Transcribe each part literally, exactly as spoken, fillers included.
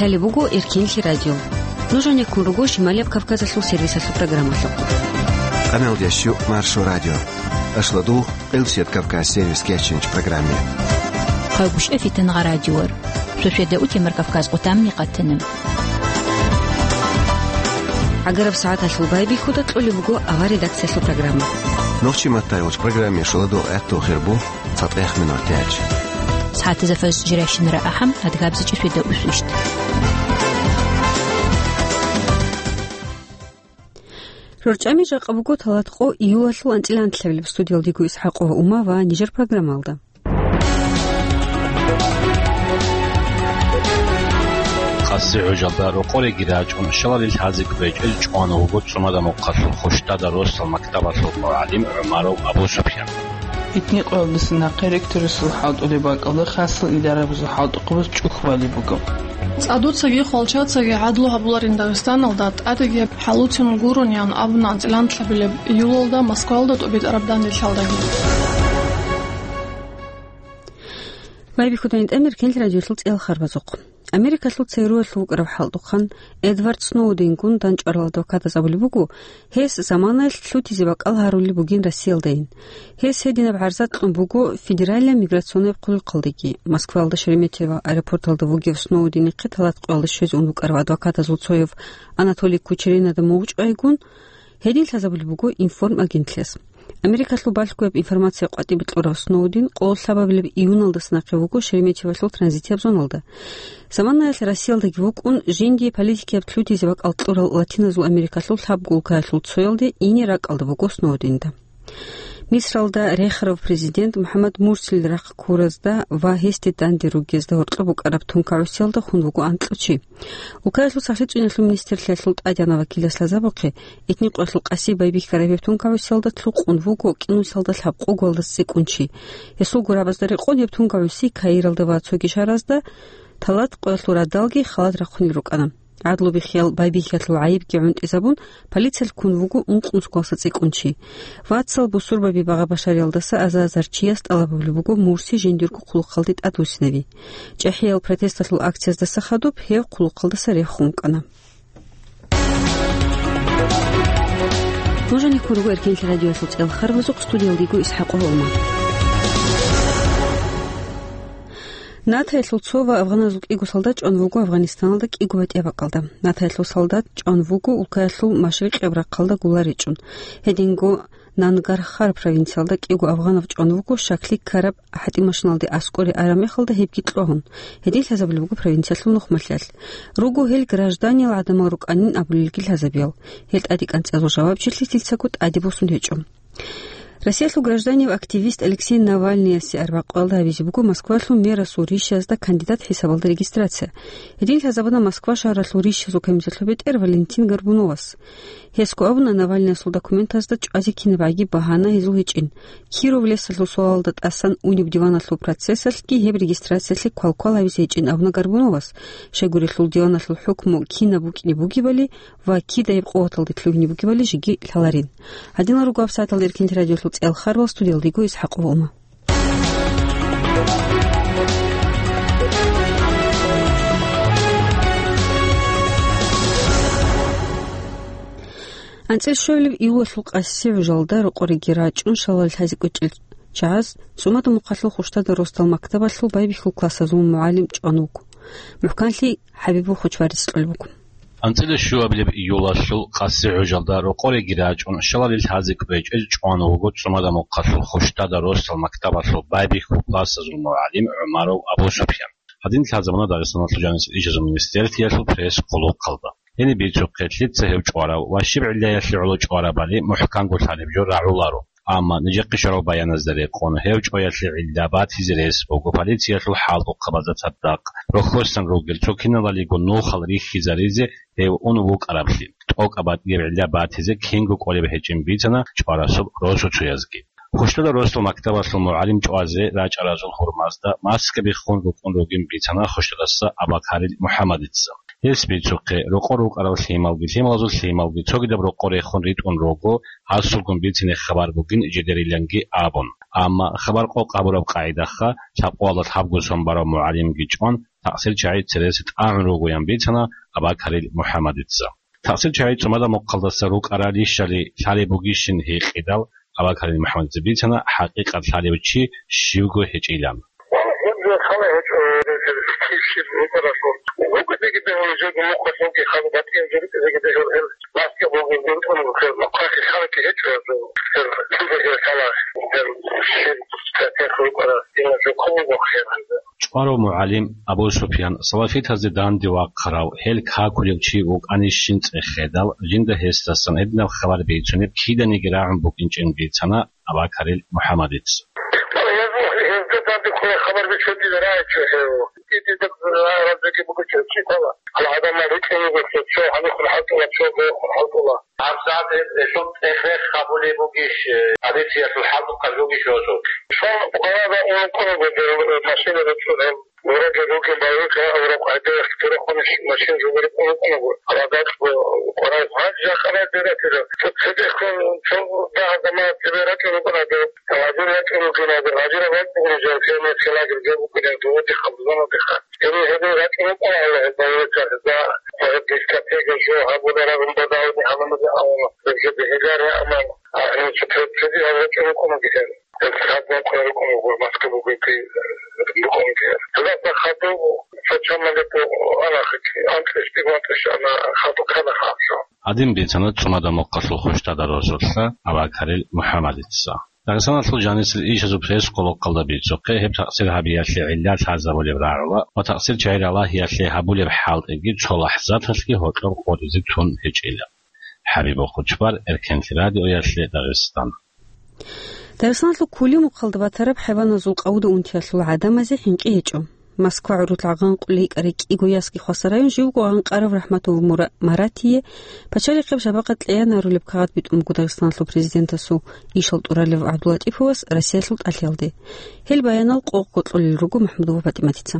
Лъалеб буго Эркенлъи радио. Нуж гьанеккун руго Шималияб Кавказалъул сервисалъул программалъухъ. Къаналдияс щу Маршо радио. Ашладул Къилсият Кавказ сервис кечинч программе. Хъагушев Фитангъа радиор. Суседа утемар Кавказ къутамни къатана. ГӀагараб сагӀаталъул байбихьуда кьолеб буго авар редакциялъул программа. Нохчи маттай уч программе шуладо этту хирбу. ЦатӀех минут тяч. СагӀатазда фаз жиращинара ахӀам, адгабзичӀи светда усвищт. РорчӀами жакъа буго талат къо июлалъул анцӀила анлъабилеб. Студиялдего ИсхӀакъова Ума ва нижер программалда. Къаси гӀужалда рокъореги рачӀун, шалалил хӀазик речӀел чӀван вуго цӀумада мухъалъул Хущдада росал мактабалъул мугӀалим ГӀумаров Абу-Супьян. Итни къоялдаса нахъе ректорасул хӀалтӀулеб бакӀалда хасал идарабазул хӀалтӀухъабаз чӀухь балеб буго. ЦӀадуцаги хвалчацаги гӀадлу гьабуларин Дагъистаналда тӀадеги хӀалуцин гурони абуна анцӀила анлъабилеб июлалда Москвалда тӀубитӀараб данделъалдаги. Байбихьуда гьитӀамир Эркенлъи радиолъул цӀел харбазухъ. Америкалъул ЦРУ-ялъул вукӀарав хӀалтӀухъан Эдвард Сноуденгун дандчӀварал адвокатаз абулеб буго, гьес заманаялъ лъутизе бакӀал гьарулеб бугин Россиялдайин. Гьес гьединаб гӀарза кьун буго Федеральная миграционная хъулухъалдеги. Москваялда Шереметьево аэропорталда вугев Сноуденихъе талат къоялда щвезе ун вукӀарав адвокатазул цояв Анатолий Кучеренада мугъчӀвайгун, гьедин лъазабулеб буго Информ агентлъиялъ. Америкалъул балъгояб информация къватӀибе кьурав Сноуден къо лъабабилеб июналдаса нахъе вуго Шереметьевалъул транзитияб зоналда. Заманаялъ Россиялдаги вукӀун, жиндие политикияб лъутизе бакӀал кьурал Латиназул Америкалъул лъабго улкаялъул цоялде ине ракӀалда буго Сноуденда. Мисралда рехарав президент МухӀаммад Мурсил рахъ ккуразда ва гьесде данде ругезда гьоркьоб букӀараб тункагӀусиялда хун вуго анкьго чи. Улкаялъул сахлъичӀиналъул министрлъиялъул тӀадегӀанав вакилас лъазабухъе, итни къоялъул къаси байбихьараб гьеб тункагӀусиялда лъукъун вуго кӀинусиялда лъабкъого валдас цӀикӀкӀун чи. Гьесул гурабазда рекъон гьеб тункагӀуси Каиралда ва цоги шагьаразда талат къоялъул радалги халат рахъунел рукӀана. ГӀадлу бихьиял байбихьиялъул гӀайибги гӀунтӀизабун, полициялъ ккун вуго ункънусго валдаса цӀикӀкӀун чи. Вацал бусурбаби багъа-башариялдаса аза-азар чияс тӀалаб гьабулеб буго Мурси жиндирго хъулухъалде тӀадвуссинави. ЧӀехӀиял протесталъул акцияздаса хадуб гьев хъулухъалдаса рехун вукӀана. Нуж гьанеккун руго Эркенлъи радиоялъул цӀел харбазухъ, студиялда йиго ИсхӀакъова Ума. НАТОялъул цо ва афганазул кӀиго солдат чӀван вуго Афганистаналда кӀиго батӀияб бакӀалда. НАТОялъул солдат чӀван вуго улкаялъул машрикъияб рахъалда гулла ричӀун. Гьединго Нангархар провинциялда кӀиго афганав чӀван вуго, щаклъи ккараб гьатӀимашиналде аскӀоре араб мехалда гьебги кьвагьун. Гьедин лъазабулеб буго провинциялъул нухмалъиялъ. Руго гьел гражданиял гӀадамал рукӀанин абулелги лъазабиял. Гьел тӀаде кӀанцӀиялъул жавабчилъи лъицаго тӀаде босун гьечӀо. Россиялъул гражданияв активист Алексей Навальныясе арбякъуялда гьабизе буго Москвалъул мэрасул ришазда кандидат хӀисабалда регистрация. Гьедин лъазабуна Москва шагьаралъул ришазул комиссиялъул бетӀер Валентин Горбуновас. Гьесго абуна, Навальныясул документазда чӀвазе кинабгӀаги багьана гьезул гьечӀин. Киров лесалъул суалалда тӀасан унеб диваналъул процессалъги гьеб регистрациялъе квалквал гьабизе гьечӀин абуна Горбуновас, щайгурелъул диваналъул хӀукму кинаб букӀине бугебали ва кидаяб къуваталде лъугьине бугебали жеги лъаларин. Гьадинал руго гьабсагӀаталда Эркенлъи радиолъул цӀел харбал, студиялда йиго ИсхӀакъова Ума. АнцӀил щуабилеб июлалъул къаси гӀужалда рокъореги рачӀун шалал лъазе кӀвечӀел чагӀаз ЦӀумада мухъалъул Хущдада росдал мактабалъул байбихьул классазул мугӀалим чӀван вуго. МухӀканлъи ХӀабибул Хочбарис кьолеб буго. АнцӀила щуабилеб июлалъул къаси гӀужалда рокъореги рачӀун, шалалил хӀази кӀвечӀел чӀван вуго ЦӀумада мухъалъул Хущдада росдал мактабалъул байбихьул классазул мугӀалим ГӀумаров Абу-Супьян. Гьадин лъазабуна Дагъистаналъул жанисел ишазул министерствоялъул пресс-хъулухъалда. Гьениб бицухъе, лъица гьев чӀварав ва щиб гӀиллаялъе гӀоло чӀварабали мухӀканго лъалеб жо рагӀуларо. Амма нижехъе щварал баяназда рекъон, гьев чӀваялъе гӀилла батизе рес буго полициялъул хӀалтӀухъабазда цадахъ, рохьосан ругел цо киналалиго нухал рихьизаризе гьев ун вукӀараблъи. ТӀокӀаб батӀияб гӀилла батизе кинго кӀолеб гьечӀин бицана чӀварасул росуцоязги. Хущдада росдал мактабалъул мугӀалим чӀвазе рачӀаразул гьурмазда маскаби хун рукӀун ругин бицана Хущдадаса Абакарил МухӀаммадица. Гьес бицухъе, рокъор рукӀарал лъималги, лъималазул лъималги цогидаб рокъор рехун ритӀун руго, гьасулгун бицине хабар бугин жидериланги абун. Амма хабар къокъ гьабураб къагӀидаха, лъабкъоялда лъабго сон барав мугӀалимги чӀван, такъсир чагӀи цересе тӀагӀун ругоян бицана Абакарил МухӀаммадица. Такъсир чагӀи цӀумадаб мухъалдаса рукӀарал рищали лъалеб бугищин гьикъидал, Абакарил МухӀаммадица бицана хӀакъикъат лъалев чи щивго гьечӀилан. Гьеб хала гьечӀо, кив щиб рукӀаралъул. Рукъидаги дегьул жеги мухъалъулги хала батӀияб жо рукъидаги дегьул гьел баскетболги рукӀун гьел мухъалъе халаги гьечӀо гьезул. Гьел кидаги хала гьел щиб стратег рукӀарал дина жо ккун буго хӀел гьезда. ЧӀварав мугӀалим Абу Суфиян салафитазде данде вахъарав, гьел какулев чи вукӀанищин цӀехедал, жинда гьесдасан гьединаб хабар бицунеб киданиги рагӀун букӀинчӀин бицана Абакарил МухӀаммадица. Гьезда данде кколеб хабар бицун дида рагӀичӀо гьев. Дида рагӀараб жеги бугичӀо чи ккола. Гьал гӀадамал рикӀкӀине буго, цо гьанихъун хӀалтӀула, цо гьанихъун хӀалтӀула. ГьабсагӀат гьелъул цӀех-рех гьабулеб бугищ, э, полициялъул хӀалтӀухъаб жогищ гьосул? Цо къваригӀараб ункъун буго, э, машина рачӀун гьел. Гьоркьоб ругел байбихьа авараг гӀадиялъ гурехъун машин жугьурекъон рукӀунаго, гьал гьадакьго къваригӀараб гьанже жакъа радиратила. Цо цебехун цо дагьаб замана цебе рачӀун рукӀунаго, гьадин рачӀун рукӀинаго, гьадинаб бакӀ бугони жал фермерский лагерь жо букӀинаго, додихъа, бузанодихъа. Гьеб гьедин рачӀун рукӀуна Аллагьас байбихьа, гьезда гьеб дискотека жо гьабуларагун бадавни гьанамазе авала, гьеб жо бегьилари амал, а, гьанже цо цебе гьал рачӀун рукӀунаго гьел. Гьел сагӀат бакъуларукъун буго, Москва бугебги, э, рукъунги. Гьелдаса хадуб, цо чамалеб анахъе, анкьиш, дигун анкьиш ана, хадуб ккана хадуб. Гьадин бицана цӀумадаб мухъалъул хущтадарасулъа Абакарил МухӀаммадица. Дагъистаналъул жанисел ишазул пресс-къулухъалда бицухъе, гьеб такъсир гьабиялъе гӀилла лъазабулеб рагӀула ва такъсир чагӀи ралагьиялъе гьабулеб хӀалтӀиги цо лахӀзаталъги гьоркьор къотӀизе тун гьечӀила. ХӀабиб Хучбар, Эркенлъи радиоялъе, Дагъистан. Дагъистаналъул Кулимухъалда батараб хӀайваназул къавуда унтиялъул гӀадамазе хӀинкъи гьечӀо. Москва гӀурулъ гӀанкъулей кӀарай кӀиго ясги хвасар район живго гъанкъарав РахӀматов Мура-, Маратие пачалихъеб шапакъат кьеян гьарулеб кагъат битӀун буго Дагъистаналъул президентасул ишал тӀуралев ГӀабдулатӀиповас Россиялъул тӀалъиялде. Гьел баянал къокъго кьолел руго МахӀмудова ПатӀиматица.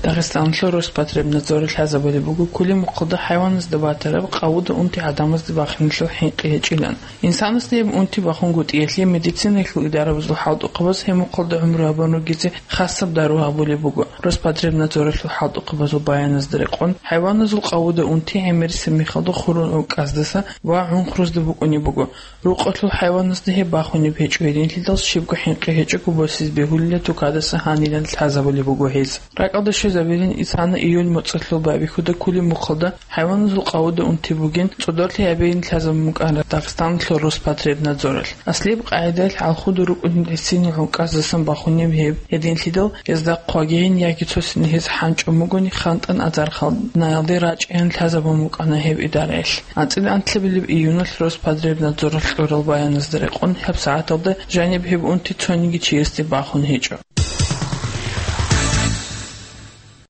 Дагъистаналъул Роспотребнадзоралъ лъазабулеб буго, Кулимухъалда хӀайваназда батараб къавуда унти гӀадамазда бахиналъул хӀинкъи гьечӀилан. Инсанасда гьеб унти бахунгутӀиялъе медицинаялъул идарабазул хӀалтӀухъабаз гьеб мухъалда гӀумру гьабун ругезе хасаб дару гьабулеб буго. Роспотребнадзоралъул хӀалтӀухъабазул баяназда рекъон, хӀайваназул къавуда унти гӀемерисеб мехалда хурун гӀукӀаздаса ва гӀунхрузда букӀунеб буго. Рукъалъул хӀайваназда гьеб бахунеб гьечӀо, гьединлъидал щибго хӀинкъи гьечӀого босизе бегьулила тукадаса гьанилан лъазабулеб буго гьез. РакӀалде щвезабилин исана июль моцӀалъул байбихьуда Кулимухъалда хӀайваназул къавуда унти бугин, цӀодорлъи гьабейин лъазабун букӀана Дагъистаналъул Роспотребнадзоралъ. Аслияб къагӀидаялъ гӀалхуда рукӀунел гӀисинал гӀукӀаздасан бахунеб гьеб, гьединлъидал гьезда хъвагейин яги цосин гьез хӀанчӀун бугони хантӀан азархал наялде рачӀейин лъазабун букӀана гьеб идараялъ. АнцӀила анлъабилеб июналъ Роспотребнадзоралъ кьурал баяназда рекъон, гьаб сагӀаталда жаниб гьеб унти цониги чиясде бахун гьечӀо.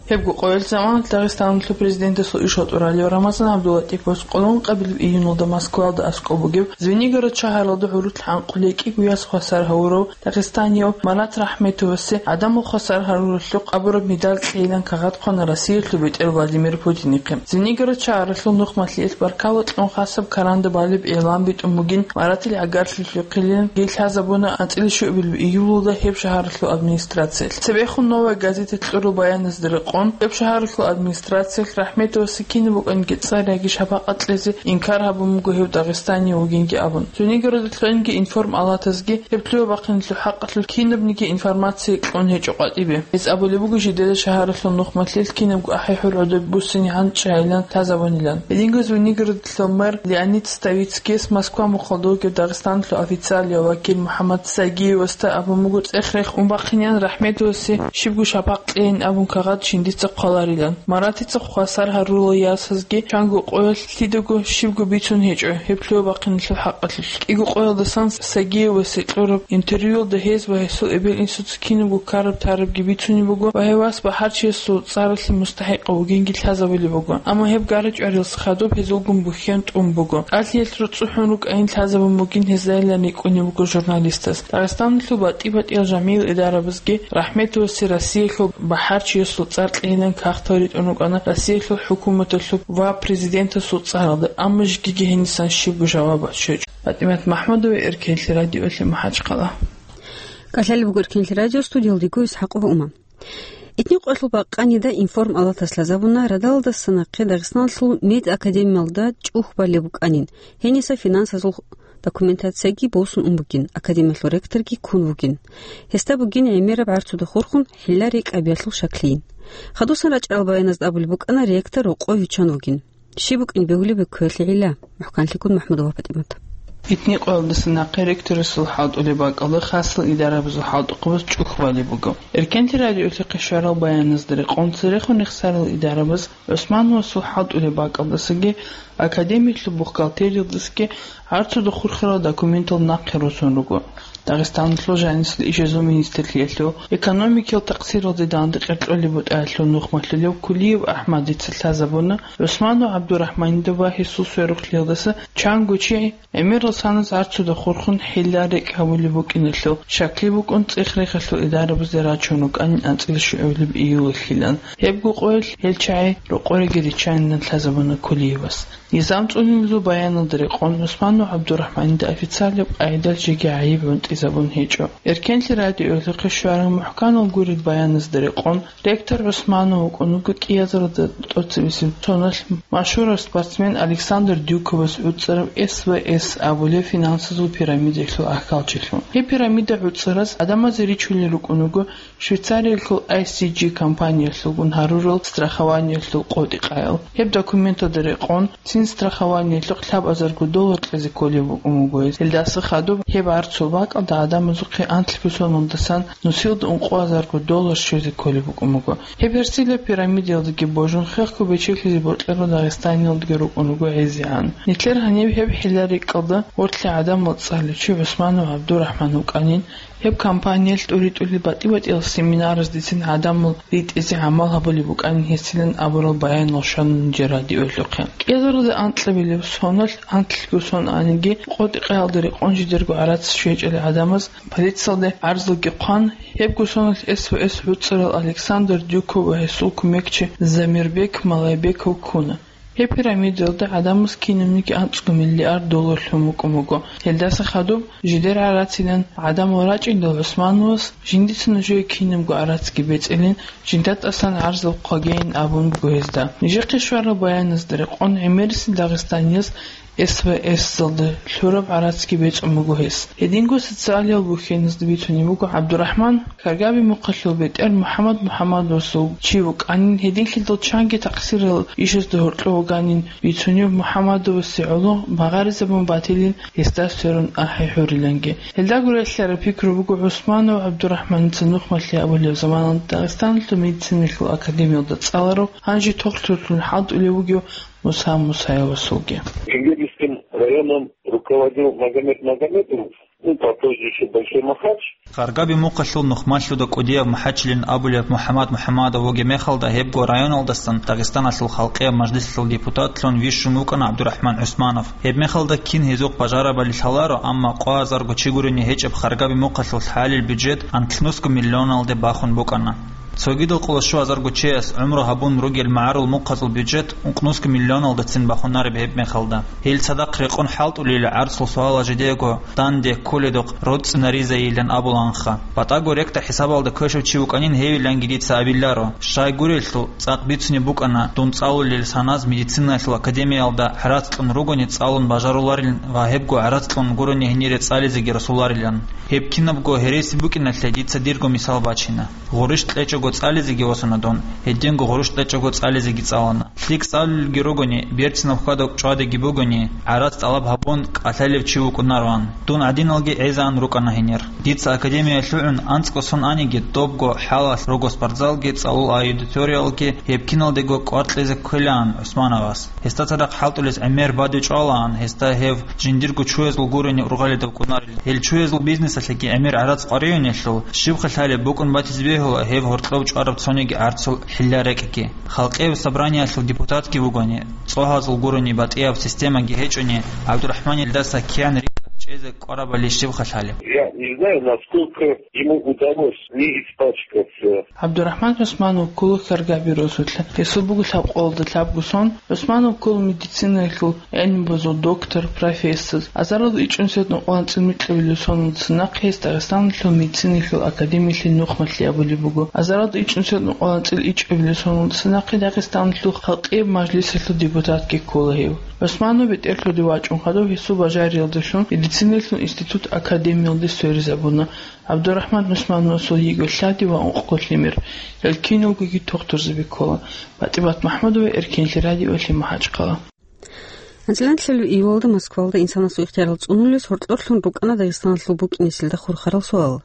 Гьебго къоялъ заманалъ Дагъистаналъул президентасул ишал тӀуралев Рамазан ГӀабдулатӀиповас къоло ункъабилеб июналда Москвалда аскӀоб бугеб Звенигород шагьаралда гӀурулъ гӀанкъулей кӀиго яс хвасар гьавурав дагъистанияв Марат РахӀметовасе гӀадамал хвасар гьаруралъухъ абураб медаль кьейилан кагъат хъвана Россиялъул бетӀер Владимир Путинихъе. Звенигород шагьаралъул нухмалъиялъ баркала кьун хасаб каранда балеб игълан битӀун бугин, Маратил гӀагарлъи лъухъилин гьел лъазабуна анцӀила щуабилеб июлалда гьеб шагьаралъул администрациялъ. Цебехун «Новая газета» кьурал баяназда рекъон, гьеб шагьаралъул администрациялъ РахӀметовасе кинаб букӀанги цӀар яги шапакъат кьезе инкар гьабун буго гьев дагъистанияв вугинги абун. Звенигородалъунги информалатазги гьеб лъугьа-бахъиналъул хӀакъалъулъ кинабниги информация кьун гьечӀо къватӀибе. Гьез абулеб буго жидеда шагьаралъул нухмалъиялъ кинабго ахӀи-хӀурхӀуда буссинигӀан чагӀилан лъазабунилан. Гьединго Звенигородалъул мэр Леонид Ставицкийс Москва мухъалда вугев Дагъистаналъул официалияв вакил МухӀаммад Сагиевасда абун буго цӀех-рех ун бахъинеян РахӀметовасе щибго шапакъ кьейин абун кагъат жиндица хъваларилан. Маратица хвасар гьарурал ясазги чанго къоялъ лъидаго щибго бицун гьечӀо гьеб лъугьа-бахъиналъул хӀакъалъулъ. КӀиго къоялдасан Сагиевасе кьураб интервьюялда гьез ва гьесул эбел-инсуца кинабго ккараб-тарабги бицунеб буго ва гьев вас бахӀарчиясул цӀаралъе мустахӀикъав вугинги лъазабулеб буго. Амма гьеб гара-чӀварилас хадуб гьезулгун бухьен тӀун буго. ТӀалъиялъ руцӀцӀухӀун рукӀайин лъазабун бугин гьезайилан рикӀкӀунеб буго журналистас. Дагъистаналъул батӀи-батӀиял жамигӀил идарабазги РахӀметовасе Россиялъул бахӀарчиясул цӀар кьейилан кагътал ритӀун рукӀана Россиялъул хӀукуматалъуб ва президентасул цӀаралда, амма жеги гьенисан щибго жаваб бачӀичӀо. ПатӀимат МахӀмудова, Эркенлъи радиоялъе, МахӀачхъала. КӀалъалеб буго Эркенлъи радио, студиялда дигу ИсхӀакъова Ума. Итни къоялъул бакъанида Информ Алатас лъазабуна, радалдаса нахъе Дагъистаналъул медакадемиялда чӀухь балеб букӀанин, гьениса финансазул документацияги босун ун бугин, академиялъул ректорги ккун вугин. Гьесда бугин гӀемераб гӀарцуда хурхун хӀилла-рекӀкӀабиялъул щаклъийин. Хадусан рачӀарал баяназда абулеб букӀана, ректор рокъове виччан вугин. Щиб букӀин бегьулеб кквелъи гӀилла? МухӀканлъикӀун МахӀмудова ПатӀимат. Итни къоялдаса нахъе ректорасул хӀалтӀулеб бакӀалда хасал идарабазул хӀалтӀухъабаз чӀухь балеб буго. Эркенлъи радиоялъухъе щварал баяназда рекъон церехун рехсарал идарабаз ГӀусмановасул хӀалтӀулеб бакӀалдасаги академиялъул бухгалтериялдасаги гӀарцуда хурхарал документал нахъе росун руго. Дагъистаналъул жанисел ишазул министрлъиялъул экономикиял такъсиралде данде къеркьолеб бутӀаялъул нухмалъулев Кулиев АхӀмадица лъазабуна, ГӀусманов ГӀабдурахӀманида ва гьесул сверухълъиялдаса чанго чи гӀемерал саназ гӀарцуда хурхун хӀилла-рекӀкӀ гьабулеб букӀиналъул щаклъи букӀун, ЦӀех-Рехалъул идарабазде рачун рукӀанин анцӀила щугӀулеб июлалъилан. Гьебго къоялъ гьел чагӀи рокъореги риччанилан лъазабуна Кулиевас. Низам цӀунулезул баяналда рекъон ГӀусманов ГӀабдурахӀманида официалаб къагӀидалъ жеги гӀайиб гӀунтӀизабун гьечӀо. Эркенлъи радиоялъухъе щварал мухӀканал гурел баяназда рекъон, ректор ГӀусманов вукӀун вуго кӀиазаралда тӀоцебесеб соналъ машгьурав спортсмен Александр Дюковас гӀуцӀарав С В С абулеб финансазул пирамидаялъул ахьалчилъун. Гьеб пирамида гӀуцӀараз гӀадамазе ричулел рукӀун вуго Швейцариялъул I C G компаниялъулгун гьарурал страхованиялъул къотӀи-къаял. Гьеб документалда рекъон, цин страхованиялъухъ лъабазарго доллар кьезе кколеб букӀун буго гьез. Гьелдаса хадуб гьеб гӀарцул бакӀалда гӀадамазухъе анлъго соналдасан нусилда ункъоазарго доллар щвезе кколеб букӀун буго. Гьеб гьерсилаб пирамидаялдаги божун, хехго бечелъизе бокьарал Дагъистаниялдаги рукӀун руго гӀезегӀан. Нилъер гьаниб гьеб хӀилла-рекӀкӀалда гъорлъе гӀадамал цӀалев чи ГӀусманов ГӀабдурахӀман вукӀанин, гьеб компаниялъ тӀури-тӀури батӀи-батӀиял семинараз дицин гӀадамал ритӀизе гӀамал гьабулеб букӀанин гьесилан абурал баянал щвана нижер радиоялъухъе. КӀиазаралда анкьабилеб соналъ анлъго сон аниги, къотӀи-къаялда рекъон жидерго гӀарац щвечӀел гӀадамаз полициялде гӀарзалги хъван, гьебго соналъ С В С гӀуцӀарал Александр Дюков ва гьесул кумекчи Замирбек Малайбеков ккуна. Гьеб пирамидаялда гӀадамаз кинабниги анцӀго миллиард доллар лъун букӀун буго. Гьелдаса хадуб жидер гӀарацилан гӀадамал рачӀиндал ГӀусмановас, жиндица нужее кинабго гӀарацги бецӀилин, жинда тӀасан гӀарзал хъвагейин абун буго гьезда. Нижехъе щварал баяназда рекъон гӀемерисел дагъистанияз С В С-залда лъураб гӀарацги бецӀун буго гьес. Гьединго социалиял бухьеназда бицунеб буго ГӀабдурахӀман Каргаби мухъалъул бетӀер МухӀаммад МухӀаммадовасул чи вукӀанин, гьединлъидал чанги такъсирал ишазда гьоркьов вуганин бицунеб МухӀаммадовасе гӀоло магъаризабун батилин гьесда сверун ахӀи гьуриланги. Гьелдаго релълъараб пикру буго ГӀусманов ГӀабдурахӀманица нухмалъи абулеб заманалда Дагъистаналъул медициналъул академиялда цӀаларав, гьанже тохлъурлъун хӀалтӀулев вугев Муса Мусаевасулги. Жингирским районом руководил Магомед Магомедов, ну, попозже ещё Большой Махач. Каргаби мухъалъул нухмалъуда кӀудияб МухӀачилин абулеб МухӀаммад МухӀаммадов вугеб мехалда, гьебго районалдасан Дагъистаналъул халкъияб мажлисалъул депутатлъун вищун вукӀана ГӀабдурахӀман ГӀусманов. Гьеб мехалда кин гьезухъ бажарабали лъаларо, амма къвазарго чи гурони гьечӀеб Каргаби мухъалъул хӀалил бюджет анлънусго миллионалде бахун букӀана. Цогидал къоло щуазарго чияс гӀумру гьабун ругел магӀарул мухъазул бюджет ункънусго миллионалдацин бахунареб гьеб мехалда. Гьел цадахъ рекъон хӀалтӀулел гӀарцул суалал жидеего данде кколедухъ роцӀцӀинаризайилан абуланха. БатӀаго рекӀкӀа хӀисабалда квешав чи вукӀанин гьевиланги дица абиларо. Щай гурелъул, цӀакъ бицунеб букӀана, дун цӀалулел саназ медицинаялъул академиялда гӀарац кьун ругони цӀалун бажаруларилан ва гьебго гӀарац кьун гурони гьенире цӀализеги росуларилан. Гьеб кинабго гьереси букӀиналъе дица дирго мисал бачина. Гъурущ кьечӀого цӀализеги восуна дун, гьединго гъурущ кьечӀого цӀализеги цӀалана. ЛъикӀ цӀалулелги ругони, берцинаб хьвада-чӀвадиги бугони, гӀарац тӀалаб гьабун, кӀалъалев чи вукӀунароан. Дун гӀадиналги гӀезаан рукӀана гьенир. Дица академиялъугӀун анцӀго сон аниги, добго хӀалалъ руго спортзалги, цӀалул аудиториялги, гьеб киналдего кӀвар кьезе кквелаан ГӀусмановас. Гьесда цадахъ хӀалтӀулес гӀемер бадиб чӀвалаан, гьесда гьев жиндирго чуязул гурони ургъалидав кӀунарилан. Гьел чуязул бизнесалъеги гӀемер гӀарац къваригӀунелъул, щибха лъалеб букӀун батизе бегьула гьев гьоркьов чӀвараб цониги гӀарцул хӀилла-рекӀкӀги. Халкъияб собраниялъул депутатги вугони, цӀогьазул гурони батӀияб системаги гьечӀони, ГӀабдурахӀманилдаса киян рикӀкӀад эзе кӀварабали щибха лъалеб? Я не знаю, насколько ему удалось не испачкаться. ГӀабдурахӀман ГӀусманов ккола Хьаргаби росулъа. Гьесул буго лъабкъоялда лъабго сон. ГӀусманов ккола медицинаялъул гӀелмубазул доктор, профессор. Азаралда ичӀнусиятнукъаланцӀил микьабилеб соналдаса нахъе гьес Дагъистаналъул медицинаялъул академиялъе нухмалъи абулеб буго. Азаралда ичӀнусиятнукъаланцӀил ичӀабилеб соналдаса нахъе Дагъистаналъул халкъияб мажлисалъул депутатги ккола гьев. ГӀусманов бетӀерлъуде вачӀун хадуб гьесул бажариялдалъун медицинаялъул институт академиялде сверизабуна. ГӀабдурахӀман ГӀусмановасул йиго лъади ва ункъго лъимер. Гьел киналгоги тухтурзаби ккола. ПатӀимат МахӀмудова, Эркенлъи радио, МахӀачхъала. АнцӀила нилъер июлалда Москвалда инсанасул ихтиярал цӀунулес гьоркьорлъун рукӀана Дагъистаналъул букӀинесилда хурхарал суал.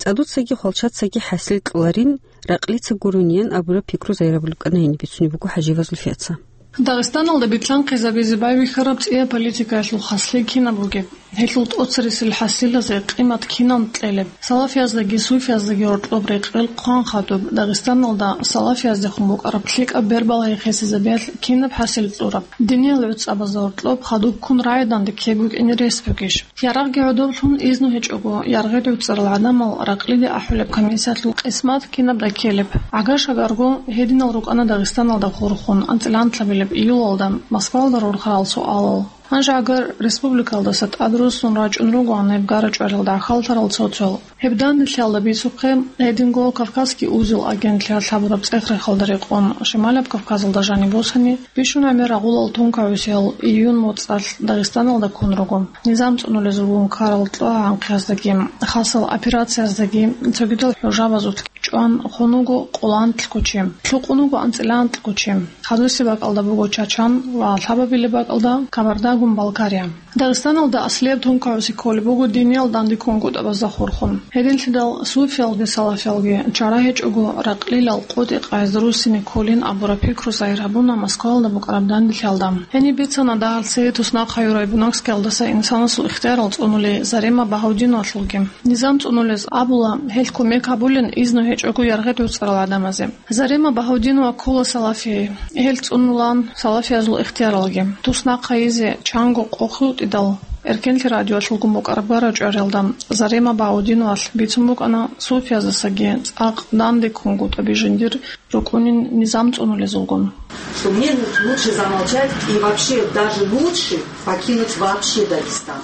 ЦӀадуцаги хвалчацаги хӀасил кьоларин, ракълица гурониян абураб пикру зайрабулеб кӀана гьениб бицунеб буго ХӀажиева Зульфияца. Дагъистаналда битлъанхъизабизе байбихьараб цӀияб политикаялъул хаслъи кинаб бугеб? Гьелъул тӀоцересел хӀасилазе къимат кинан кьелеб? Салафияздаги суфияздаги гьоркьоб рекъел хъван хадуб, Дагъистаналда салафияздехун букӀараб лъикӀаб бербал гьехъесезабиялъ кинаб хӀасил кьураб? Диниял гӀуцӀабазда гьоркьоб хадубккун рагӀиданде ккег букӀине рес бугищ? Ярагъги гӀодоблъун изну гьечӀого, яргъи гӀуцӀарал гӀадамал ракълиде ахӀулеб комиссиялъул къисмат кинаб раккелеб? ГӀагар-шагарго гьединал рукӀана Дагъистаналда хурхун анцӀила анлъабилеб июлалда Москвалда рурхарал суалал. Гьанже гӀагар республикалдаса тӀадруссун рачӀун ругоан гьеб гара-чӀваралда хьалтарал цо-цоял. Гьеб данделъиялда бицухъе, гьединго Кавказский узел агентлъиялъ гьабураб цӀех-рехалда рекъон, Шималаб Кавказалда жаниб босани, бищун гӀемер рагъулал тункагӀусиял июнь моцӀалъ Дагъистаналда ккун руго. Низам цӀунулезулгун ккарал кьогӀанхъияздаги, хасал операцияздаги, цогидал хӀужабазулъги чӀван хун вуго къоло анлъго чи, лъукъун вуго анцӀила анлъго чи. Хадусеб бакӀалда буго Чачан ва лъабабилеб бакӀалда Кабарда-Гумбалкария. Дагъистаналда аслияб тункагӀуси кколеб буго диниял данде ккунгутӀабазда хурхун. Гьединлъидал суфиялги салафиялги чара гьечӀого ракълилал къотӀи къайз руссине кколин абураб пикру зайир гьабуна Москвалда букӀараб данделъиялда. Гьениб бицана дагьал цере туснахъ гьаюрай Буйнакскиялдаса инсанасул ихтиярал цӀунулей Зарема Багьаудиновалъулги. Низам цӀунулез абула, гьелъ кумек гьабулин изну гьечӀого яргъи гӀуцӀарал гӀадамазе. Зарема Багьаудинова ккола салафияй. Гьел цӀунулан салафиязул ихтияралги. Туснахъ гьайизе чанго къо хутӀидал, Эркенлъи радиоялъулгун букӀараб гара-чӀваралда Зарема Багьаудиновалъ бицун букӀана суфияздасаги цӀакъ данде ккунгутӀаби жиндир рукӀунин низам цӀунулезулгун. Что мне лучше замолчать и вообще даже лучше покинуть вообще Дагестан.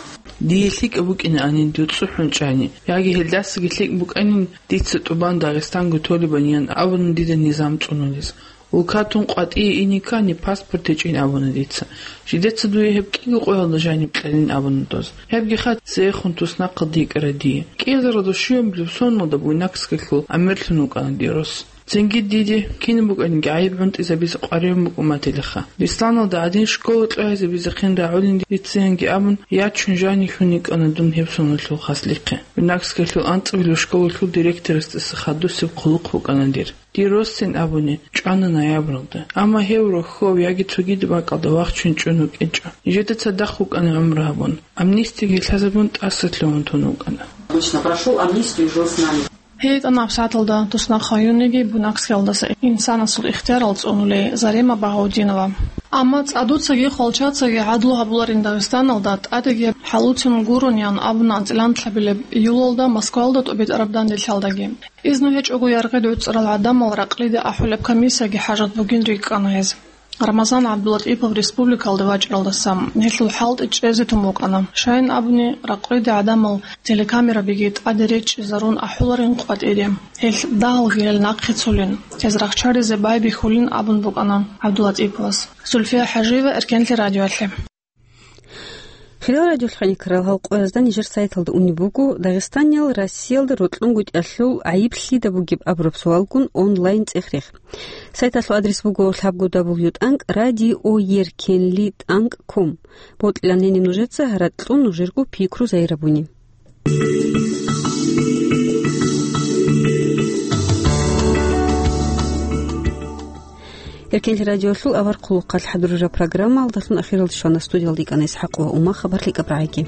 Дие лъикӀаб букӀинаанин дир цӀухӀун чӀани, яги гьелдасаги лъикӀ букӀанин дица тӀубан Дагъистанго толебаниян абуна дида низам цӀунулез. Улкатун къватӀие ине ккани, паспорт гьечӀин абуна дица. Жидеца дуе гьеб кӀиго къоялда жаниб кьелин абуна доз. Гьебги хатӀ цеехун туснахъалда йикӀара дие. КӀиазаралда щуябилеб соналда Буйнакскиялъул амирлъун вукӀана дир рос. Цинги диде кинаб букӀаниги гӀайиб гӀунтӀизабизе къваригӀун букӀумателеха. Бесланалда гӀадин школа кьогӀизабизехъин рагӀулин дица, янги абун, ячун жанилъун йикӀана дун гьеб соналъул хаслихъе. Буйнакскиялъул анцӀабилеб школалъул директорасдаса хадусеб хъулухъ букӀана дир. Дир росцин абуни, чӀвана ноябралда. Амма гьев рохьов яги цогидаб бакӀалда вахчун чӀун вукӀинчӀо. Нижеда цадахъ вукӀана гӀумру гьабун. Амнистиги лъазабун тӀаса лъугьун тун вукӀана. Точно, прошёл амнистию, жил с нами. ГьитӀанаб сагӀаталда туснахъ гьаюниги Буйнакскиялдаса инсанасул ихтиярал цӀунулей Зарема Багьаудинова. Амма цӀадуцаги хвалчацаги гӀадлу гьабуларин Дагъистаналда тӀадеги хӀалуцун гурони абуна анцӀила анлъабилеб июлалда Москвалда тӀубитӀараб данделъиялдаги. Изну гьечӀого яргъи гӀуцӀарал гӀадамал ракълиде ахӀулеб комиссияги хӀажат бугин рикӀкӀана гьез. Рамазан ГӀабдулатӀипов республикалде вачӀаралдаса гьелъул хӀалтӀи чӀезе тун букӀана. Щайин абуни, ракълиде гӀадамал телекамерабиги тӀаде речӀчӀизарун ахӀуларин къватӀире. Гьелъ дагьалги гьел нахъе цолин, гьез рахчаризе байбихьулин абун букӀана ГӀабдулатӀиповас. Зульфия ХӀажиева, Эркенлъи радиоялъе. Хириял радиолъухъаникарал, гьал къоязда нижер сайталда унеб буго Дагъистаниял Россиялда рокьунгутӀиялъул гӀайиб лъида бугеб абураб суалгун онлайн цӀех-рех. Сайталъул адрес буго лъабго дабл ю тӀанкӀ радиоеркенли тӀанкӀ ком. Бокьилан гьениб нужеца гьаракь кьун нужерго пикру зайрабуни. Эркенлъи радиолъул авар хъулухъалъ хӀадурараб программаялдалъун ахиралде щвана. Студиялда йикӀана ИсхӀакъова Ума. Хабар лъикӀаб рагӀиги.